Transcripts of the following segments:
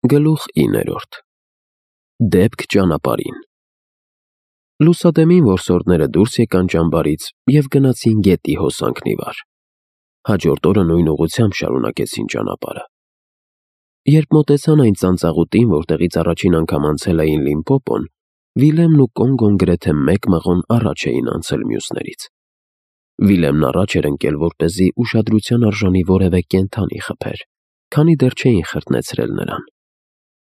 Գլուխ 9. Դեպք ճանապարհին։ Լուսադեմին որսորդները դուրս եկան ճամբարից և գնացին գետի հոսանքն ի վար։ Հաջորդ օրը նույն ուղղությամբ շարունակեցին ճանապարհը։ Երբ մոտեցան այն ծանծաղուտին, որտեղից առաջին անգամ անցել էին Լիմպոպոն, Վիլեմն ու Կոնգոն գրեթե մեկ մղոն առաջ էին անցել մյուսներից։ Վիլեմն առաջ էր ընկել, որպեսզի ուշադրության արժանի որևէ կենդանի խփեր, քանի դեռ չէին խրտնեցրել նրան։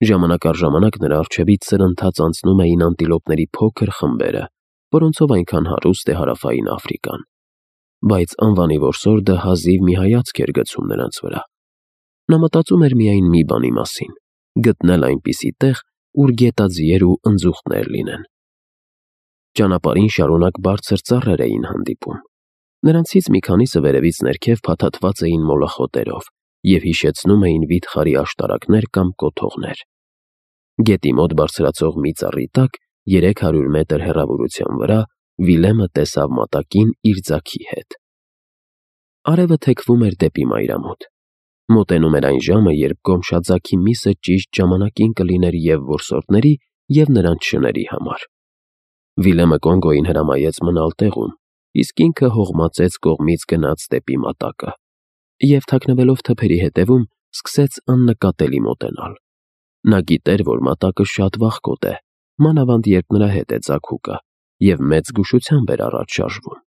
Ժամանակ առ ժամանակ նրա առջևից սրընթաց անցնում էին անտիլոպների փոքր խմբերը, որոնցով այնքան հարուստ է Հարավային Աֆրիկան։ Բայց անվանի որսորդը հազիվ մի հայացք էր գցում նրանց վրա։ Նա մտածում էր միայն մի բանի մասին՝ գտնել այնպիսի տեղ, ուր գետաձիեր ու ընձուղտներ լինեն։ Ճանապարհին շարունակ բարձր ծառեր էին հանդիպում։ Նրանցից մի քանիսը վերևից ներքև փաթաթված էին մոլախոտերով և հիշեցնում էին վիթխարի աշտարակներ կամ կոթողներ։ Գետի մոտ բարձրացող մի ծառի տակ, 300 մետր հեռավորության վրա, Վիլեմը տեսավ մատակին իր ձագի հետ։ Արևը թեքվում էր դեպի մայրամուտ։ Մոտենում էր այն ժամը, երբ գոմշաձագի միսը ճիշտ ժամանակին կլիներ և որսորդների, և նրանց շների համար։ Վիլեմը Կոնգոյին հրամայեց մնալ տեղում, իսկ ինքը հողմածեց կողմից գնաց դեպի մատակը և, թաքնվելով թփերի հետևում, սկսեց աննկատելի մոտենալ։ Նա գիտեր, որ մատակը շատ վախկոտ է, մանավանդ երբ նրա հետ է ձագուկը, և մեծ զգուշությամբ էր առաջ շարժվում։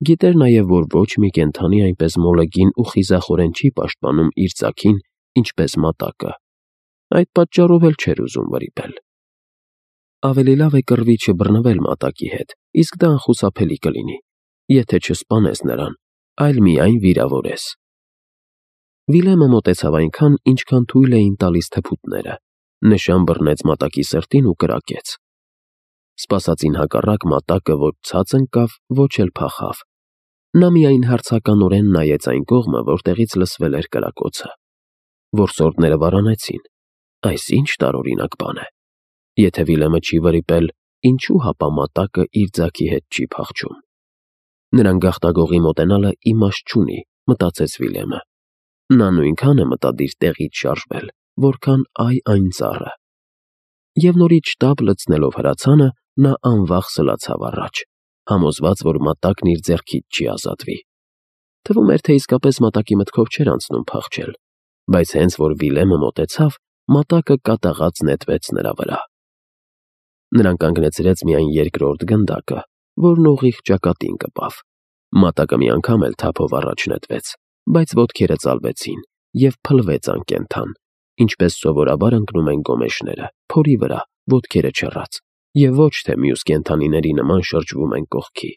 Գիտեր նաև, որ ոչ մի կենդանի այնպես մոլեգին ու խիզախորեն չի պաշտպանում իր ձագին, ինչպես մատակը։ Այդ պատճառով էլ չէր ուզում վրիպել։ Ավելի լավ է կռվի չբռնվել մատակի հետ, իսկ դա անխուսափելի կլինի, եթե չսպանես նրան, այլ միայն վիրավորես։ Վիլեմը մոտեցավ այնքան, ինչքան թույլ էին տալիս թփուտները, նշան բռնեց մատակի սրտին ու կրակեց։ Սպասածին հակառակ մատակը ոչ ցած ընկավ, ոչ էլ փախավ։ Նա միայն հարցականորեն նայեց այն կողմը, որտեղից լսվել էր կրակոցը։ Որսորդները վարանեցին։ Այս ինչ տարօրինակ բան է։ Եթե Վիլեմը չի վրիպել, ինչու հապա մատակը իր ձագի հետ չի փախչում։ Նրան գաղտագողի մոտենալը իմաստ չունի, մտածեց Վիլեմը։ Նա նույնքան է մտադիր տեղից շարժվել, որքան այն ծառը։ Եվ նորից շտապ լցնելով հրացանը, նա անվախ սլացավ առաջ, համոզված, որ մատակն իր ձեռքից չի ազատվի։ Թվում էր, թե իսկապես մատակի մտքով չէր անցնում փախչել, բայց հենց որ Վիլեմը մոտեցավ, մատակը կատաղած նետվեց նրա վրա։ Նրան կանգնեցրեց միայն երկրորդ գնդակը, որն ուղիղ ճակատին կպավ։ Մատակը մի անգամ էլ թափով առաջ նետվեց, բայց ոտքերը ծալվեցին և փլվեց անկենդան, ինչպես սովորաբար ընկնում են գոմեշները, փորի վրա, ոտքերը չռած, և ոչ թե մյուս կենդանիների նման շրջվում են կողքի։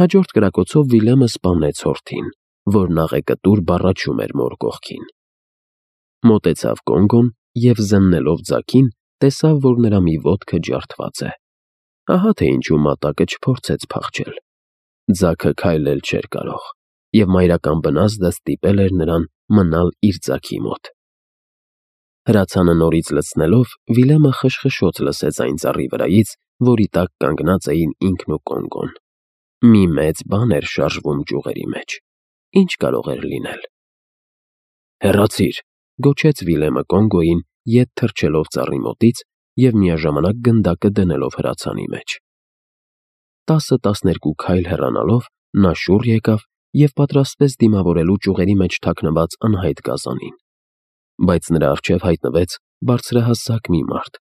Հաջորդ կրակոցով Վիլեմը սպանեց հորթին, որն աղեկտուր բառաչում էր մոր կողքին։ Մոտեցավ Կոնգոն և, զննելով ձագին, տեսավ, որ նրա մի ոտքը ջարդված է։ Ահա թե ինչու մատակը չփորձեց փախչել։ Ձագը քայլել չէր կարող, և մայրական բնազդը ստիպել էր նրան մնալ իր ձագի մոտ։ Հրացանը նորից լցնելով, Վիլեմը խշխշոց լսեց այն ծառի վրայից, որի տակ կանգնած էին ինքն ու Կոնգոն։ Մի մեծ բան էր շարժվում ճյուղերի մեջ։ Ինչ կարող էր լինել։ Հեռացիր, գոչեց Վիլեմը Կոնգոյին, ետ թռչելով ծառի մոտից և միաժամանակ գնդակը դնելով հրացանի մեջ։ 10-12 քայլ հեռանալով, նա շուռ եկավ և պատրաստվեց դիմավորելու ճյուղերի մեջ թաքնված անհայտ գազանին։ Բայց նրա առջև հայտնվեց բարձրահասակ մի մարդ,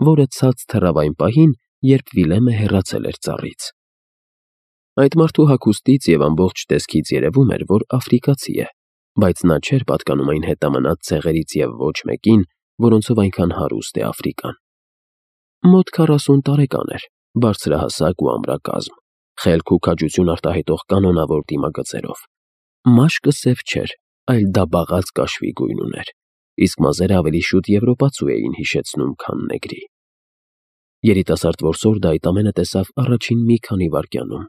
որը ցած թռավ այն պահին, երբ Վիլեմը հեռացել էր ծառից։ Այդ մարդու հագուստից և ամբողջ տեսքից երևում էր, որ աֆրիկացի է, բայց նա չէր պատկանում այն հետամնաց ցեղերից և ոչ մեկին, որոնցով այնքան հարուստ է Աֆրիկան։ Մոտ 40 տարեկան էր, բարձրահասակ ու ամրակազմ, խելք ու քաջություն արտահայտող կանոնավոր դիմագծերով։ Մաշկը սև չէր, այլ դաբաղած կաշվի գույն ուներ, իսկ մազերը ավելի շուտ եվրոպացու էին հիշեցնում, քան նեգրի։ Երիտասարդ որսորդը այդ ամենը տեսավ առաջին մի քանի վայրկյանում։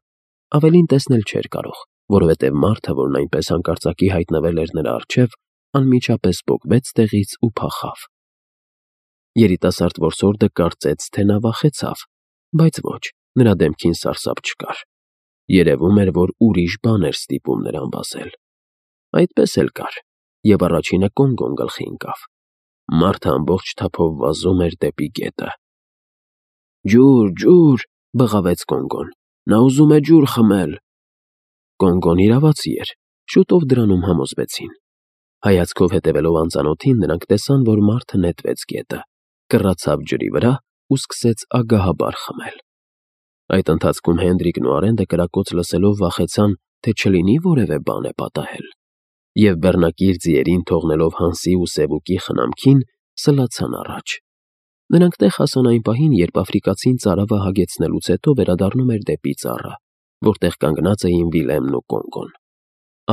Ավելին տեսնել չէր կարող, որովհետև մարդը, որն այնպես հանկարծակի հայտնվել էր նրա առջև, անմիջապես պոկվեց տեղից ու փախավ։ Երիտասարդ որսորդը կարծեց, թե նա վախեցավ, բայց ոչ, նրա դեմքին սարսափ չկար։ Երևում էր, որ ուրիշ բան էր ստիպում նրան վազել։ Այդպես էլ կար, և առաջինը Կոնգոն գլխի ընկավ։ Մարդը ամբողջ թափով վազում էր դեպի գետը։ «Ջուր, ջուր», բղավեց Կոնգոն, «նա ուզում է ջուր խմել»։ Կոնգոն իրավացի էր, շուտով դրանում համոզվեցին։ Հայացքով հետևելով անծանոթին, նրանք տեսան, որ մարդը նետվեց գետը, կռացավ ջրի վրա ու սկսեց ագահաբար խմել։ Այդ ընթացքում Հենդրիկն ու Արենդը կրակոց լսելով վախեցան, թե չլինի որևէ բան է պատահել, և բեռնակիր ձիերին թողնելով Հանսի ու Սևուկի խնամքին, սլացան առաջ։ Նրանք տեղ հասան այն պահին, երբ աֆրիկացին ծարավը հագեցնելուց հետո վերադառնում էր դեպի ծառը, որտեղ կանգնած էին Վիլեմն ու Կոնգոն։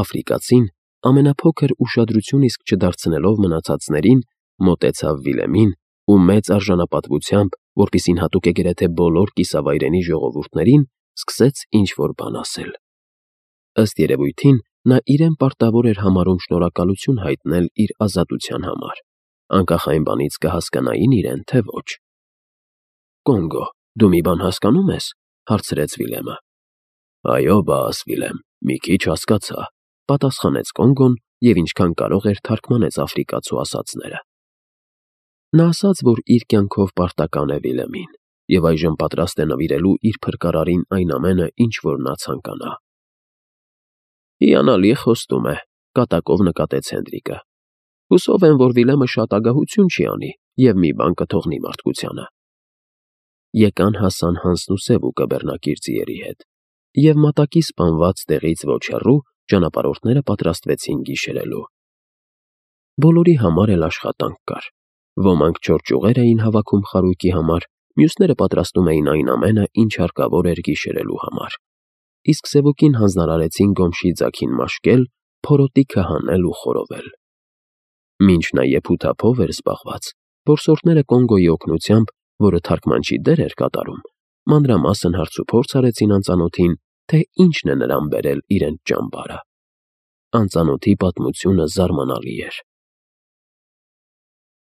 Աֆրիկացին, ամենափոքր ուշադրություն իսկ չդարձնելով մնացածներին, մոտեցավ Վիլեմին ու մեծ արժանապատվությամբ, որպիսին հատուկ է գրեթե բոլոր կիսավայրենի ժողովուրդներին, սկսեց ինչ-որ բան ասել։ Ըստ երևույթին, նա իրեն պարտավոր էր համարում շնորհակալություն հայտնել իր ազատության համար, անկախ այն բանից կհասկանային իրեն, թե ոչ։ «Կոնգո, դու մի բան հասկանում ես», հարցրեց Վիլեմը։ «Այո, բաս, Վիլեմ, մի քիչ հասկացա», պատասխանեց Կոնգոն և ինչքան կարող էր թարգմանեց աֆրիկացու ասածները։ Նա ասաց, որ իր կյանքով պարտական է Վիլեմին և այժմ պատրաստ է նվիրելու իր փրկարարին այն ամենը, ինչ որ նա ցանկանա։ «Հիանալի խոստում է», կատակով նկատեց Հենդրիկը։ «Հուսով եմ, որ Վիլեմը շատ ագահություն չի անի և մի բան կթողնի մարդկությանը»։ Եկան հասան Հանսն ու Սևուկը բեռնակիր ձիերի հետ, և մատակի սպանված տեղից ոչ հեռու ճանապարհորդները պատրաստվեցին գիշերելու։ Բոլորի համար էլ աշխատանք կար։ Ոմանք չոր ճյուղեր էին հավաքում խարույկի համար, մյուսները պատրաստում էին այն ամենը, ինչ հարկավոր էր գիշերելու համար, իսկ Սևուկին հանձնարարեցին գոմշի ձագին մաշկել, փորոտիքը հանել ու խորովել։ Մինչ նա եփութափով էր զբաղված, որսորդները Կոնգոյի օգնությամբ, որը թարգմանչի դեր էր կատարում, մանրամասն հարցուփորձ արեցին անծանոթին, թե ինչն է նրան բերել իրենց ճամբարը։ Անծանոթի պատմությունը զարմանալի էր։